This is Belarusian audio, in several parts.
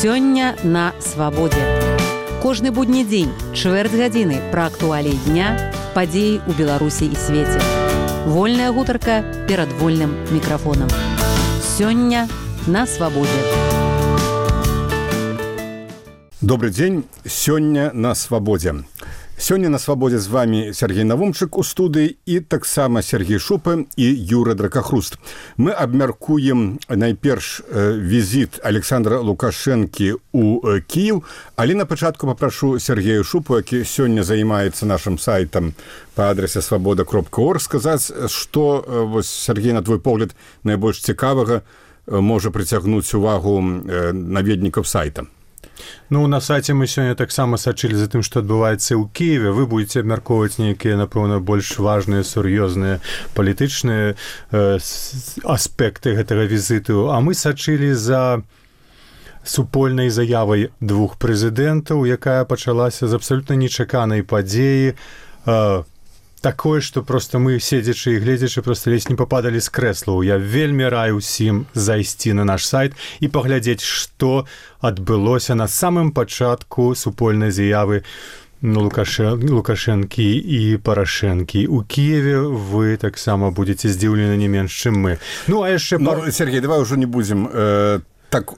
Сёння на свабодзе. Кожны будні дзень, чвэрць гадзіны пра актуаліі дня, падзеі ў Беларусі і свеце. Вольная гутарка перад вольным мікрафонам. Сёння на свабодзе. Добрый дзень, сёння на свабодзе. Сёння на свабодзе з вами Сергей Навумчык у студыі і таксама Сергей Шупа і Юра Дракахруст. Мы абмяркуем найперш візіт Александра Лукашэнкі ў Кіев, але на пачатку папрашу Сергея Шупу, які сёння займаецца нашым сайтам па адрасе свабода.орг, сказаць, што, Сергей, на твой погляд, найбольш цікавага можа прыцягнуць увагу наведнікаў сайта. Ну, на сайце мы сёння таксама сачылі за тым, што адбываецца ў Кіеве. Вы будзеце абмяркоўваць нейкія, напэўна, больш важныя, сур'ёзныя палітычныя аспекты гэтага візіту. А мы сачылі за супольнай заявай двух прэзідэнтаў, якая пачалася з абсалютна нечаканай падзеі. Такое, што проста мы, седзячы і гледзячы, проста ледзь не пападалі з крэслаў. Я вельмі раю ўсім зайсці на наш сайт і паглядзець, што адбылося на самым пачатку супольнай заявы Лукашэнкі і Парашэнкі. У Кіеве вы таксама будзеце здзіўлены не менш, чым мы. Ну, а яшчэ... Сергей, давай ўжо не будзем так...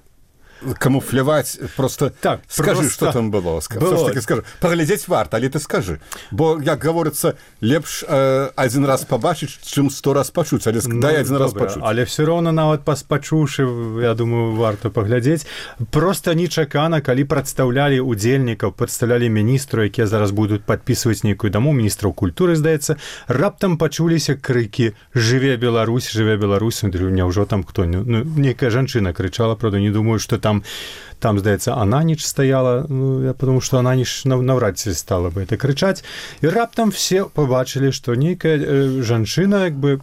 камуфляваць, просто так, скажы, што там было. Все-таки скажи. Паглядзець варта, але ты скажы. Бо, як гаворыцца, лепш адзін раз пабачыць, чым 100 раз пачуць, але дай адзін раз пачуць. Але все роўна нават пачуўшы, я думаю, варта паглядзець. Просто нечакана, калі прадстаўлялі удзельнікаў, прадстаўлялі міністру, якія зараз будуць падпісваць нейкую даму, міністраў культуры, здаецца, раптам пачуліся крыкі «Жыве Беларусь, жыве Беларусь». Няўжо там хто? Ну, нейкая жанчына крычала, правда, не думаю, што там, здаецца, Ананіч стаяла, ну, потому что Ананіч навряд ці стала бы это крычаць. І раптам все побачылі, што нейкая жанчына, як бы,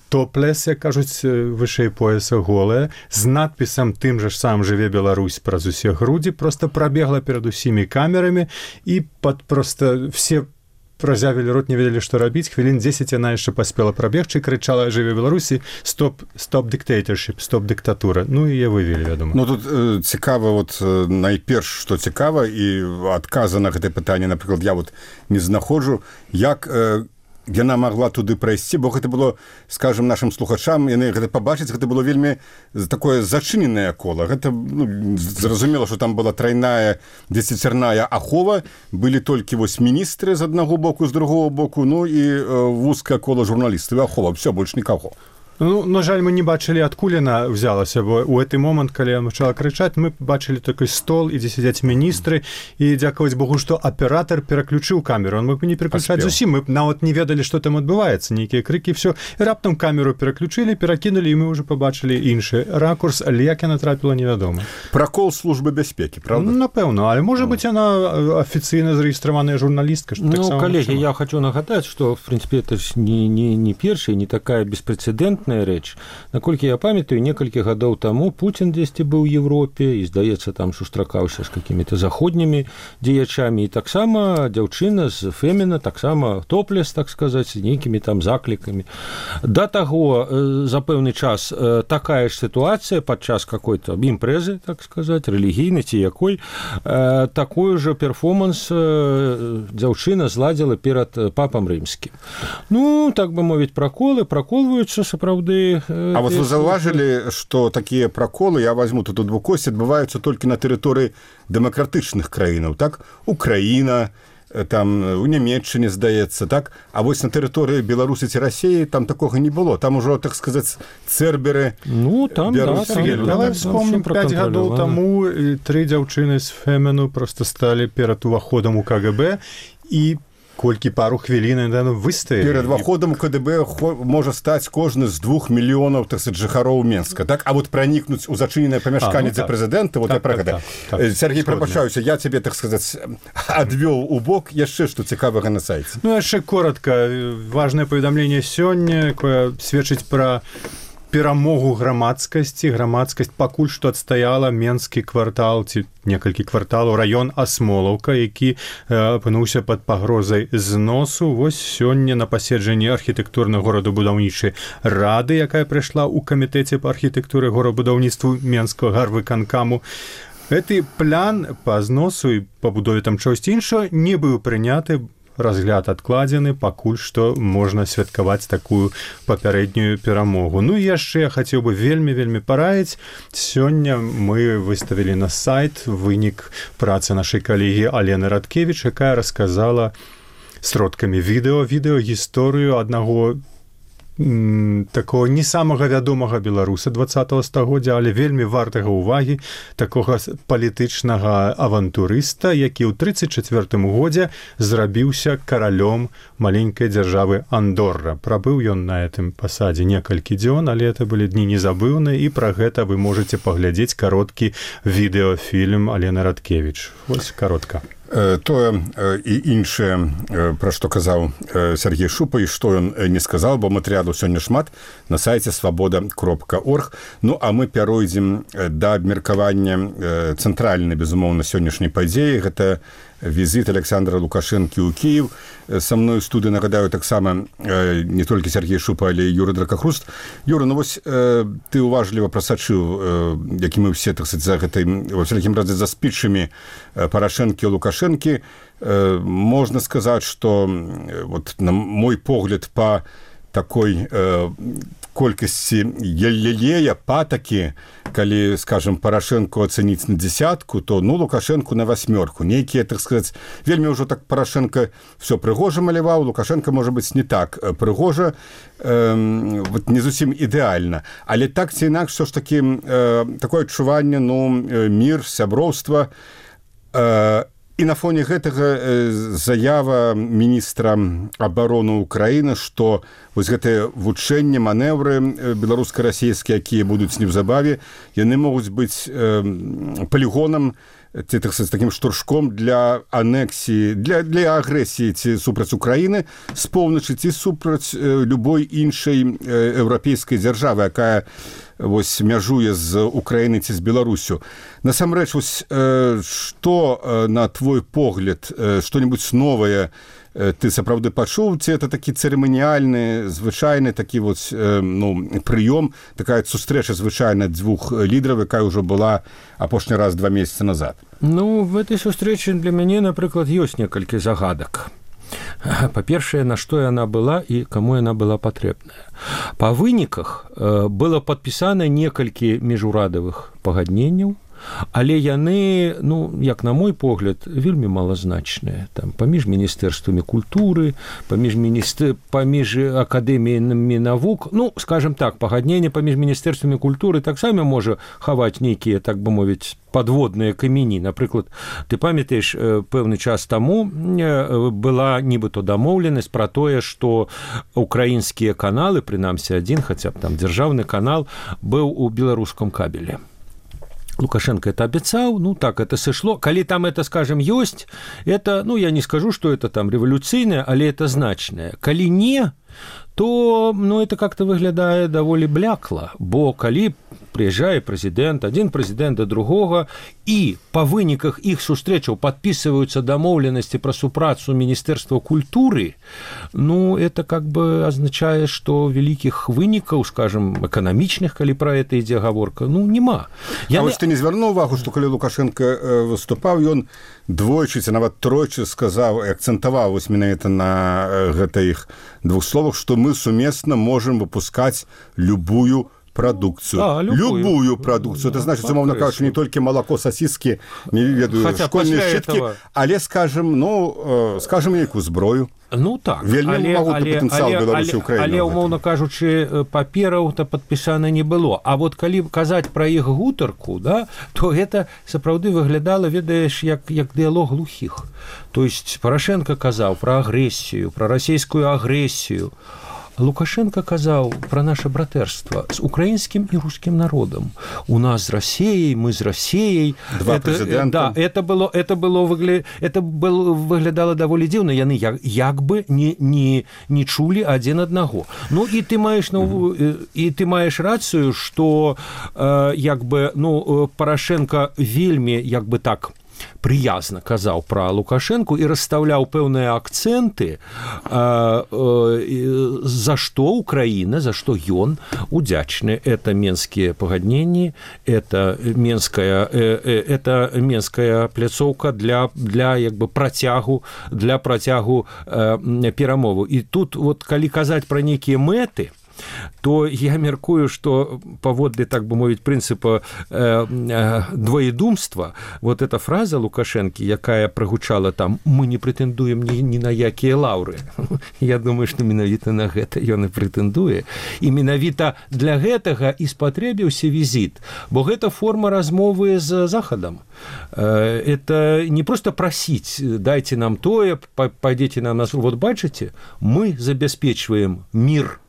топлес, як кажуць, вышэй пояса голая, з надпісам тым жа ж самым «Жыве Беларусь» праз усе грудзі, просто прабегла перад усімі камерамі і просто все разявілі рот, не ведалі, што рабіць. Хвілін 10 яна яшчэ паспела прабегчы, крычала «Жыве Беларусі», «Stop dictatorship», «Stop дыктатура». Ну, і я вывелі, я думаю. Ну, тут цікава, найперш, што цікава, і адказа на гэтае пытанне, напрыклад, я не знаходжу, як яна магла туды прайсці, бо гэта было, скажем, нашим слухачам, яны гэта пабачыць, гэта было вельмі такое зачыненае кола. Гэта, зразумела, што там была трайная, дзесяцерная ахова, былі толькі міністры з аднаго боку, з другого боку, ну і вузкае кола журналістаў, ахова, все, больш нікаго. Ну, на жаль, мы не бачылі, адкуль яна взялася, бо ў гэты момант, калі яна пачала крычаць, мы бачылі такой стол, і дзе сядзяць міністры, і дзякаваць Богу, што аператар пераключыў камеру. Он мог бы не пераключаць зусім, мы нават не ведалі, што там адбываецца, нейкія крыкі, все. І раптам камеру пераключылі, перакінулі, і мы ўжо пабачылі іншы ракурс, але як яна трапіла, невядома. Пракол службы бяспекі, правда? Напэўна, але можа быць, яна афіцыйна зарэгістраваная журналістка. Ну, коллеги, я хочу нагадать, что, в принципе, это не першая, не такая беспрецедентная рэч. Наколькі я памятаю, некалькі гадоў таму Путін дзесьці быў у Европе, і, здаецца, там сустракаўся з какімі-то заходнімі дзеячамі, і таксама дзяўчына з Феміна, таксама топлес, так сказаць, з нейкімі там заклікамі. Да таго, за пэўны час такая ж сітуацыя падчас какой-то імпрэзы, так сказаць, рэлігійнай ці якой, такой же перформанс дзяўчына зладзіла перад папам рымскім. Ну, так бы мовіць, праколваюцца сапраўды. А вы заўважылі, што такія праколы, я возьму тут у двукосці, адбываюцца толькі на тэрыторыі дэмакратычных краінаў, так? Украіна, там у Нямецчыне, здаецца, так? А вось на тэрыторыі Беларусі ці Расіі там такога не было. Там ужо, так сказаць, церберы... Ну, там, давай вспомнім, 5 гадоў таму 3 дзяўчыны з Феміну просто сталі перад уваходам у КГБ і колькі пару хвілін выстаялі. Перад уваходам у КДБ можа стаць кожны з 2 мільёнаў, так сказаць, жыхароў Менска. Так? А пранікнуць у зачыненае памяшканне дзе прэзідэнта, я пра гэта. Сергей, прапашаюся, я цябе, так сказаць, адвёў у бок. Яшчэ што цікавага на сайце? Ну, яшчэ коротка. Важнае паведамленне сёння, якое сведчыць пра перамогу грамадскасці. Грамадскасць пакуль што адстаяла Менскі квартал ці некалькі кварталаў, раён Асмолаўка, які апынуўся пад пагрозай зносу. Вось сёння на паседжанні архітэктурнай горадабудаўнічай рады, якая прыйшла ў камітэце па архітэктуры горабудаўніцтву Менскага гарвыканкаму, Гэты план па зносу і пабудове там чогось іншого не быў прыняты, разгляд адкладзены, пакуль што можна святкаваць такую папярэднюю перамогу. Ну і яшчэ я хацеў бы вельмі параіць. Сёння мы выставілі на сайт вынік працы нашай калегі Алены Радкевіч, якая расказала сродкамі відэо гісторыю аднаго такого не самага вядомага беларуса 20-го стагоддзя, але вельмі вартага ўвагі такога палітычнага авантурыста, які ў 34-м годзе зрабіўся каралём маленькай дзяржавы Андорра. Прабыў ён на гэтым пасадзе некалькі дзён, але это былі дні незабыўныя, і пра гэта вы можаце паглядзець кароткі відэафільм Алены Радкевіч. Вось каротка. Тое і іншае, пра што казаў Сергей Шупа, і што ён не сказаў, бо матэрыялу сёння шмат на сайце свабода.орг. Ну, а мы пяройдзем да абмеркавання цэнтральнай, безумоўна, сённяшняй падзеі. Гэта візіт Александра Лукашэнкі ў Кіеў. Са мной у студыі, нагадаю, таксама не толькі Сергей Шупа, але і Юра Дракахруст. Юра, ну вось ты уважліва прасачыў, які мы ўсе, так сказаць, за гэтай, во всякім разе, за спічамі Парашэнкі і Лукашэнкі. Можна сказаць, што вот, на мой погляд, па такой колькасці елея, патакі, калі, скажем, Парашэнку ацэніць на 10, то, ну, Лукашэнку на 8. Нейкія, так сказаць, вельмі ўжо так Парашэнка все прыгожа маляваў, Лукашэнка, можа быць, не так прыгожа, вот, не зусім ідэальна. Але так ці інакш, все ж такі, такое адчуванне, ну, мір, сяброўства. І на фоне гэтага заява міністра абароны Украіны, што вось гэтыя вучэнні, манеўры беларуска-расійскія, якія будуць неўзабаве, яны могуць быць палігонам, ці, так сказаць, такім штуршком для анексіі, для агрэсіі ці супраць Украіны з поўначы, ці супраць любой іншай еўрапейскай дзяржавы, якая вось мяжуе з Украіны ці з Беларусю. Насамрэч, вось што, на твой погляд, што-небудзь новае ты сапраўды пачуў, ці это такі цырыманіяльны, звычайны такі вот, ну, прыём, такая сустрэча звычайна дзвюх лідараў, якая ўжо была апошні раз 2 месяцы назад? Ну, в этой сустрэчы для мяне, напрыклад, ёсць некалькі загадак. Па-першае, на што яна была і каму яна была патрэбная. Па выніках было падпісана некалькі міжурадавых пагадненняў, але яны, ну, як на мой погляд, вельмі малазначныя. Там паміж міністэрствамі культуры, паміж акадэміямі навук, ну, скажем так, пагадненне паміж міністэрствамі культуры таксама можа хаваць нейкія, так бы мовіць, подводныя камені. Напрыклад, ты памятаеш, пэўны час таму была нібыто дамоўленасць пра тое, што украінскія каналы, прынамсі адзін, хаця б там дзяржаўны канал, быў у беларускам кабеле. Лукашенко это обещал, ну так это сошло. Коли там это, скажем, есть, это, ну я не скажу, что это там революційне, але это значное. Коли не, то, ну, это как-то выглядае даволі блякла, бо калі прыязджае прэзідэнт, адзін прэзідэнт да другога, і па выніках іх сустрэчаў падпісваюцца дамоўленасці пра супрацу Міністэрства культуры, ну, это как бы азначае, што вялікіх вынікаў, скажем, эканамічных, калі пра гэта ідзе гаворка, ну, няма. А вось ты не звярнуў увагу, што калі Лукашенко выступаў, ён двойчы, ці нават тройчы сказаў і акцэнтаваў вось менавіта на гэтых двух словах, што мы сумесна можем выпускаць любую продукцию. Любую продукцию. Это значит, умовно кажучи, не только молоко, сосиски, не ведаю, школьные щитки, але, скажем, ну, скажем, яку зброю. Ну так, вельмі магутны патэнцыял Беларусі Украіны. Але, умоўна кажучы, папераў-то падпісана не было. А вот калі казаць пра іх гутарку, да, то гэта сапраўды выглядала, ведаеш, як дыялог глухіх. То есть Парашенко казаў пра агрэсію, пра расійскую агрэсію. Лукашенко казаў пра наша братэрства з украінскім і рускім народам. У нас з Расіяй, мы з Расіяй. Два прэзідэнта. Да, это выглядала даволі дзіўна. Яны як бы не чулі адзін аднаго. Ну і ты маеш рацыю, што як бы, ну, Парашенко вельмі як бы так прыязна казаў пра Лукашэнку і расстаўляў пэўныя акцэнты, за што Украіна, за што ён удзячны. Это менскія пагадненні, это менская пляцоўка для як бы працягу перамову. І тут вот калі казаць пра нейкія мэты, то я меркую, што паводле, так бы мовіць, прынцыпа двоедумства, вот эта фраза Лукашэнкі, якая прагучала там «мы не прэтэндуем ні на якія лаўры», я думаю, што менавіта на гэта ён і прэтэндуе. І менавіта для гэтага і спатрэбіўся візіт, бо гэта форма размовы з Захадам. Это не просто прасіць, дайце нам тое, пайдзеце на нас. Вот бачыце, мы забяспечваем мир.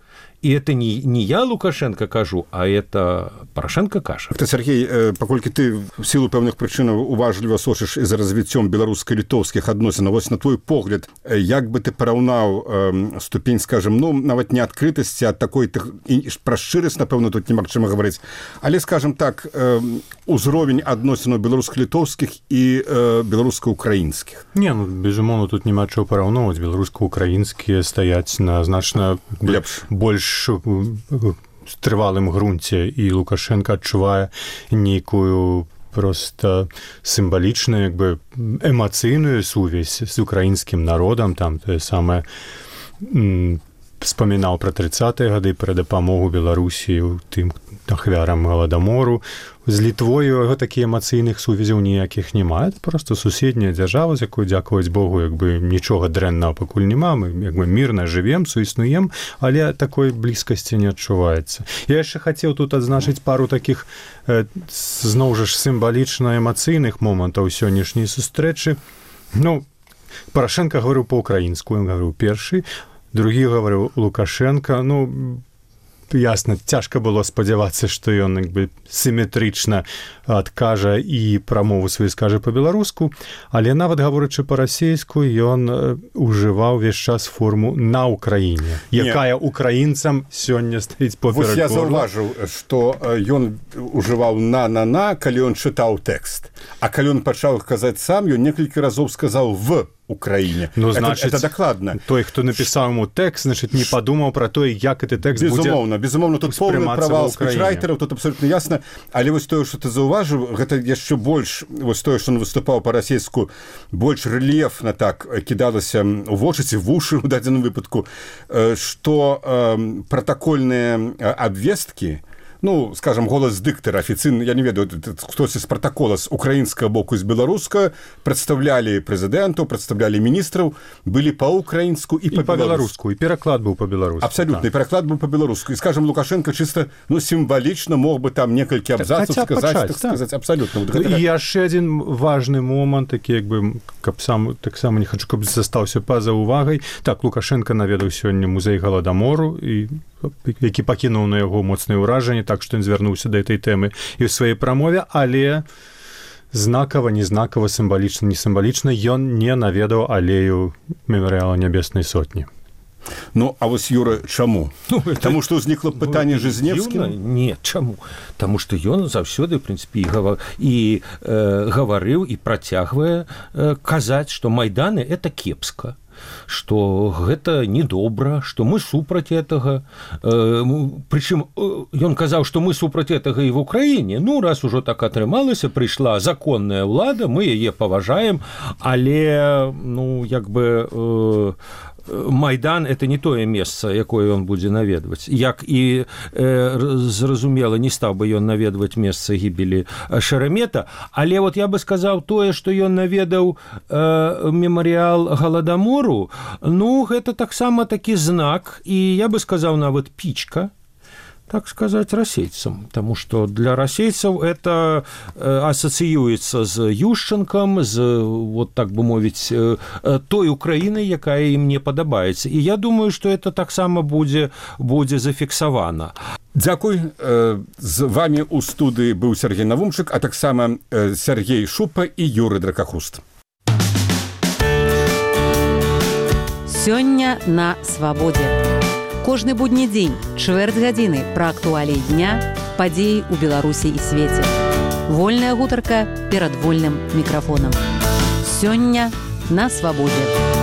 И это не я, Лукашенко, кажу, а это Порошенко кажа. Сергей, паколькі ты в силу пэўных прычынаў уважліва сочыш і за развіццём беларуска-літоўскіх адносінаў, вось на твой погляд, як бы ты параўнаў ступень, скажем, ну, нават не адкрытасці, а такой, пра шчырасць, напэўна, тут немагчыма гаварыць, але, скажем так, узровень адносінаў беларуска-літоўскіх і беларуска-украінскіх? Не, ну, безумоўна, тут няма чаго параўноўваць. Беларуска-украінскія стаяць на значна больш трывалым грунце, і Лукашенко адчувае нейкую просто сімвалічную, як бы эмацыйную сувязь з украінскім народам. Там тое самае вспамінаў пра 30-е гады, пра дапамогу Беларусі тым ахвярам Галадамору. З Літвою яго такіх эмацыйных сувязяў ніякіх няма. Это просто суседняя дзяржава, з якой, дзякаваць Богу, як бы нічога дрэннага пакуль няма. Мы як бы мірна жывем, суіснуем, але такой блізкасці не адчуваецца. Я яшчэ хацеў тут адзначыць пару такіх зноў жа сімвалічна эмацыйных момантаў сённяшняй сустрэчы. Ну, Порошенко гаварыў па-украінску, ён гаварыў першы, другі гаварыў Лукашенко. Ну, ясна, цяжка было спадзявацца, што ён як бы сіметрычна адкажа і прамову сваю скажа па-беларуску, але нават гаворачы па-расейску, ён ужываў ўвесь час форму «на Украіне», якая украінцам сёння стаіць поперак горла. Вось я заўважыў, што ён ужываў «на», калі ён чытаў тэкст, а калі ён пачаў казаць сам, ён некалькі разоў сказаў «в Украіне». Ну, значит, это дакладна. Той, хто напісаў яму тэкст, значит, не падумаў пра тое, як гэты тэкст будзе безумоўна, тут поўны правал спічрайтераў, тут абсолютна ясна, але вось тое, што ты заўважыў, гэта яшчэ больш, вось тое, што ён выступаў па-расейску, больш рэльефна так кідалася ў вочы ці вушы ў дадзеным выпадку, што пратакольныя абвесткі, ну, скажем, голас дыктара афіцыйны, я не ведаю, хтосьці з пратакола з украінскага боку і з беларускага прадстаўлялі прэзідэнтаў, прадстаўлялі міністраў, былі па-украінску і па-беларуску, і пераклад быў па-беларуску. Абсалютна, і пераклад быў па-беларуску. І, скажем, Лукашенко чыста, ну, сімвалічна мог бы там некалькі абзацаў сказаць, абсалютна. І яшчэ адзін важны момант, такі, як бы, каб сам, таксама не хачу, каб застаўся па-за увагай. Так, Лукашенко наведаў сёння музей Галадамору, які пакінуў на яго моцнае ўражанне, так што ён звярнуўся да этой тэмы і ў сваёй прамове, але знакава, неззнакава, сімвалічна, не сімвалічна ён не наведаў алею мемарыяла Нябеснай Сотні. Ну, а вось, Юра, чаму? Ну, таму што ўзнікла пытанне Жизневскім? Не, чаму? Таму што ён заўсёды, в прынцыпе, і гаварыў, і працягвае казаць, што Майданы – это кепска, што гэта недобра, што мы супраць гэтага. Прычым ён казаў, што мы супраць гэтага і в Украіне. Ну, раз ужо так атрымалася, прыйшла законная ўлада, мы яе паважаем, але, ну, як бы Майдан – это не тое месца, якое ён будзе наведваць. Як і, зразумела, не стаў бы ён наведваць месца гібелі Шеремета, але вот я бы сказаў тое, што ён наведаў мемарыял Галадамору, ну, гэта таксама такі знак, і я бы сказаў нават пічка, так сказать, расейцам, потому что для расейцаў это асацыюецца з Ющенкам, з, вот так бы мовіць, той Украінай, якая ім не падабаецца. І я думаю, што это таксама будзе зафіксавана. Дзякуй. З вами ў студыі быў Сергей Навумчык, а таксама Сергей Шупа і Юры Дракахруст. Сёння на свабодзе. Кожны будні дзень, чвэрць гадзіны пра актуаліі дня, падзеі ў Беларусі і свеце. Вольная гутарка перад вольным мікрафонам. Сёння на свабодзе.